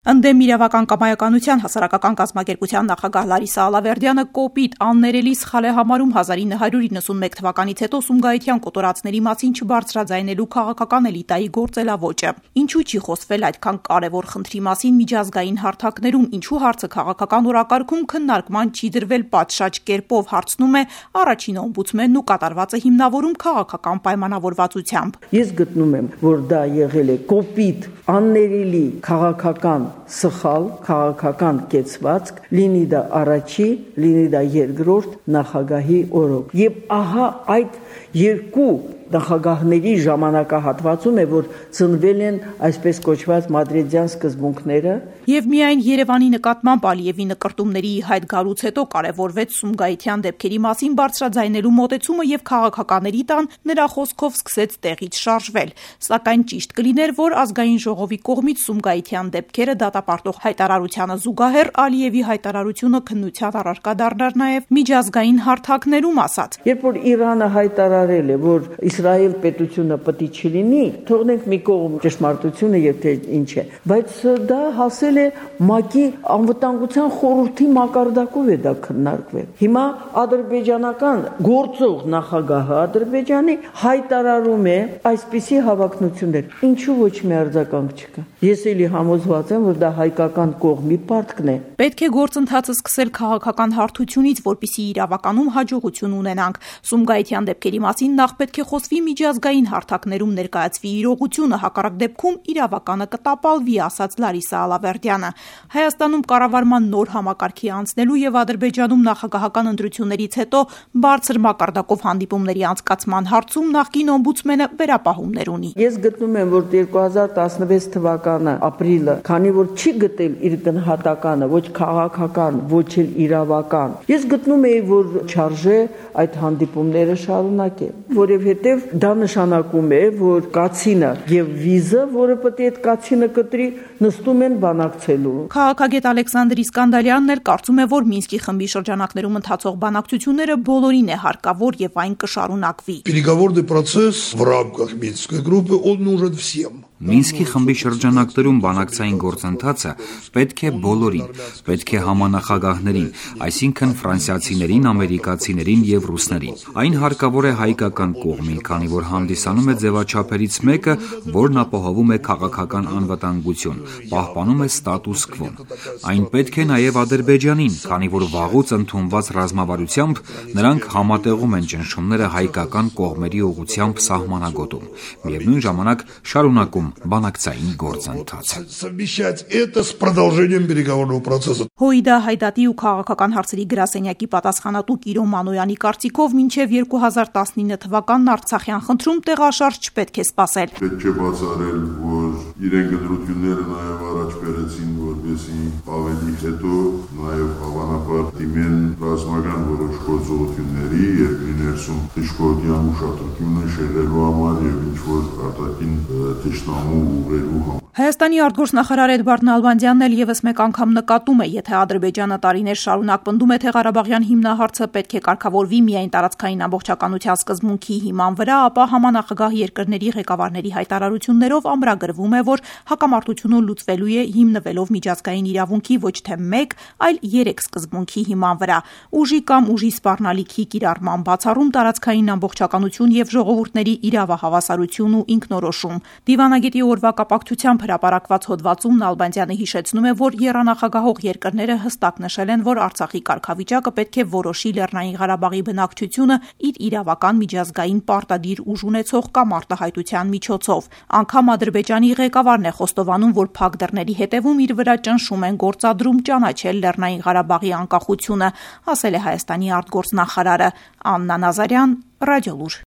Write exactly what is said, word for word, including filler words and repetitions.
Ընդդեմ իրավական կամայականության հասարակական կազմակերպության նախագահ Լարիսա Ալավերդյանը կոպիտ, աններելի սխալ է համարում հազար ինը հարյուր իննսունմեկ թվականից հետո Սումգայիթյան կոտորածների մասին չբարձրաձայնելու քաղաքական էլիտայի գործելավոճը։ Ինչու չի խոսվել այդքան կարևոր խնդրի մասին միջազգային հարթակներում, ինչու հարցը քաղաքական օրակարգում քննարկման չի դրվել պատշաճ կերպով, հարցնում է առաջին օմբուդսմենն ու կատարվածը հիմնավորում քաղաքական պայմանավորվածությամբ։ Ես գտնում եմ, որ դա եղել է կոպիտ, աններելի քաղաքական սխալ քաղաքական կեցվածք, լինի դա առաջի, լինի դա երկրորդ նախագահի օրոք։ Եվ ահա այդ երկու նախագահների ժամանակահատվածում է, որ ծնվել են այսպես կոչված մադրիդյան սկզբունքները։ Եվ միայն Երևանի նկատմամբ Ալիևի նկրտումների հայտ գալուց հետո կարևորվեց Սումգայիթյան դեպքերի մասին բարձրաձայնելու մոտեցումը եւ քաղաքականների տան նրա խոսքով սկսեց տեղից շարժվել։ Սակայն ճիշտ կլիներ, որ ազգային ժողովի կողմից Սումգայիթյան դեպքերը դատապարտող հայտարարությանը զուգահեռ Ալիևի հայտարարությունը քննության առարկա դառնար նաեւ միջազգային հարթակներում ասած։ Երբ որ Իրանը հայտարարել է, որ Իսրայել պետությունը պետք է չլինի, թողնենք մի կողմ ճշմարտությունը եւ թե ինչ է, բայց դա հասել է ՄԱԿ-ի անվտանգության խորհրդի մակարդակով է դա քննարկվել։ Հիմա ադրբեջանական գործող նախագահը Ադրբեջանի հայտարարում է այսպիսի հավակնություններ։ Ինչու ոչ մի արձագանք չկա։ Ես էլի համոզված եմ, որ դա հայկական կողմի պարտքն է։ Պետք է գործընթացը սկսել քաղաքական հարթությունից, որպեսզի իրավականում հաջողություն ունենանք։ Սումգայիթյան դեպքերի մասին նախ պետք է խոսվի միջազգային հարթակներում ներկայացվի իրողությունը, հակառակ դեպքում իրավականը կտապալվի, ասաց Լարիսա Ալավերդյանը։ Հայաստանում կառավարման նոր համակարգի անցնելու եւ Ադրբեջանում նախագահական ընտրություններից հետո բարձր մակարդակով հանդիպումների անցկացման հարցում նախկին օմբուդսմենը վերապահումներ ունի։ Ես գտնում եմ, որ երկու հազար տասնվեց թվականը ապրիլը, քանի որ չի գտել իր գնահատականը ոչ քաղաքական, ոչ էլ իրավական, ես գտնում եի, որ չարժե այդ հանդիպումները շարունակել, որովհետև դա նշանակում է, որ կացինը եւ վիզը, որը պետք է այդ կացինը կտրի, նստում են բանակցելու։ Քաղաքագետ Ալեքսանդր Իսկանդարյանն էլ կարծում է, որ Մինսկի խմբի շրջանակներում ընթացող բանակցությունները բոլորին է հարկավոր եւ այն կշարունակվի։ Переговорный процесс в рамках Минской группы он нужен всем. Մինսկի խմբի շրջանակներում բանակցային գործընթացը պետք է բոլորին, պետք է համանախագահներին, այսինքն ֆրանսիացիներին, ամերիկացիներին եւ ռուսներին։ Այն հարկավոր է հայկական կողմին, քանի որ հանդիսանում է ձևաչափերից մեկը, որն ապահովում է քաղաքական անվտանգություն, պահպանում է ստատուս քվոն։ Այն պետք է նաեւ Ադրբեջանին, քանի որ վաղուց ընդունված ռազմավարությամբ նրանք համատեղում են ճնշումները հայկական կողմերի ուղղությամբ սահմանագոտում։ Միևնույն ժամանակ շարունակում բանակցային գործընթացը։ Совмещать это с продолжением переговорного процесса. Հույդա հայդատի ու քաղաքական հարցերի գրասենյակի պատասխանատու Կիրո Մանոյանի կարծիքով մինչև երկու հազար տասնինը թվականն Արցախյան խնդրում տեղաշարժ չպետք է սպասել։ Պետք է բացառել, որ իրենք ընտրությունները նաև առաջ բերեցին, որպեսզի ավելի հետո նաև հավանաբար դիմեն ռազմական որոշ գործողությունների եւ ներսում դժգոհության ուշադրությունը շեղելու համար եւ ինչ որ արտաքին թշնամու ուղերու համար։ Հայաստանի արտգործնախարար Էդվարդ Նալբանդյանն էլ եւս մեկ անգամ նկատում է, եթե Ադրբեջանը տարիներ շարունակ պնդում է, թե Ղարաբաղյան հիմնահարցը պետք է կարգավորվի միայն տարածքային ամբողջականության սկզբունքի հիման վրա, ապա համանախագահ երկրների ղեկավարների հայտարարություններով ամրագրվում է, որ հակամարտությունը լուծվելու է հիմնվելով միջազգային իրավունքի ոչ թե մեկ, այլ երեք սկզբունքի հիման վրա՝ ուժի կամ ուժի սպառնալիքի կիրառման բացառում, տարածքային ամբողջականություն եւ ժողովուրդների իրավահավասարություն ու ինքնորոշում։ Դիվանագետի օրվա կապակցությամբ հրապարակված հոդվածում Նալբանդյանը հիշեցնում է, որ եռանախագահող երկրները հստակ նշել են, որ Արցախի կարգավիճակը պետք է որոշի Լեռնային Ղարաբաղի բնակչությունը իր իրավական միջազգային պարտադիր ուժ ունեցող կամ արտահայտության միջոցով։ Անգամ Ադրբեջանի ղեկավարն է խոստովանում, որ փակ դռների հետևում իր վրա ճնշում են գործադրում ճանաչել Լեռնային Ղարաբաղի անկախությունը, ասել է Հայաստանի արտգործնախարարը։ Աննա Նազարյան, Ռադիոլուր։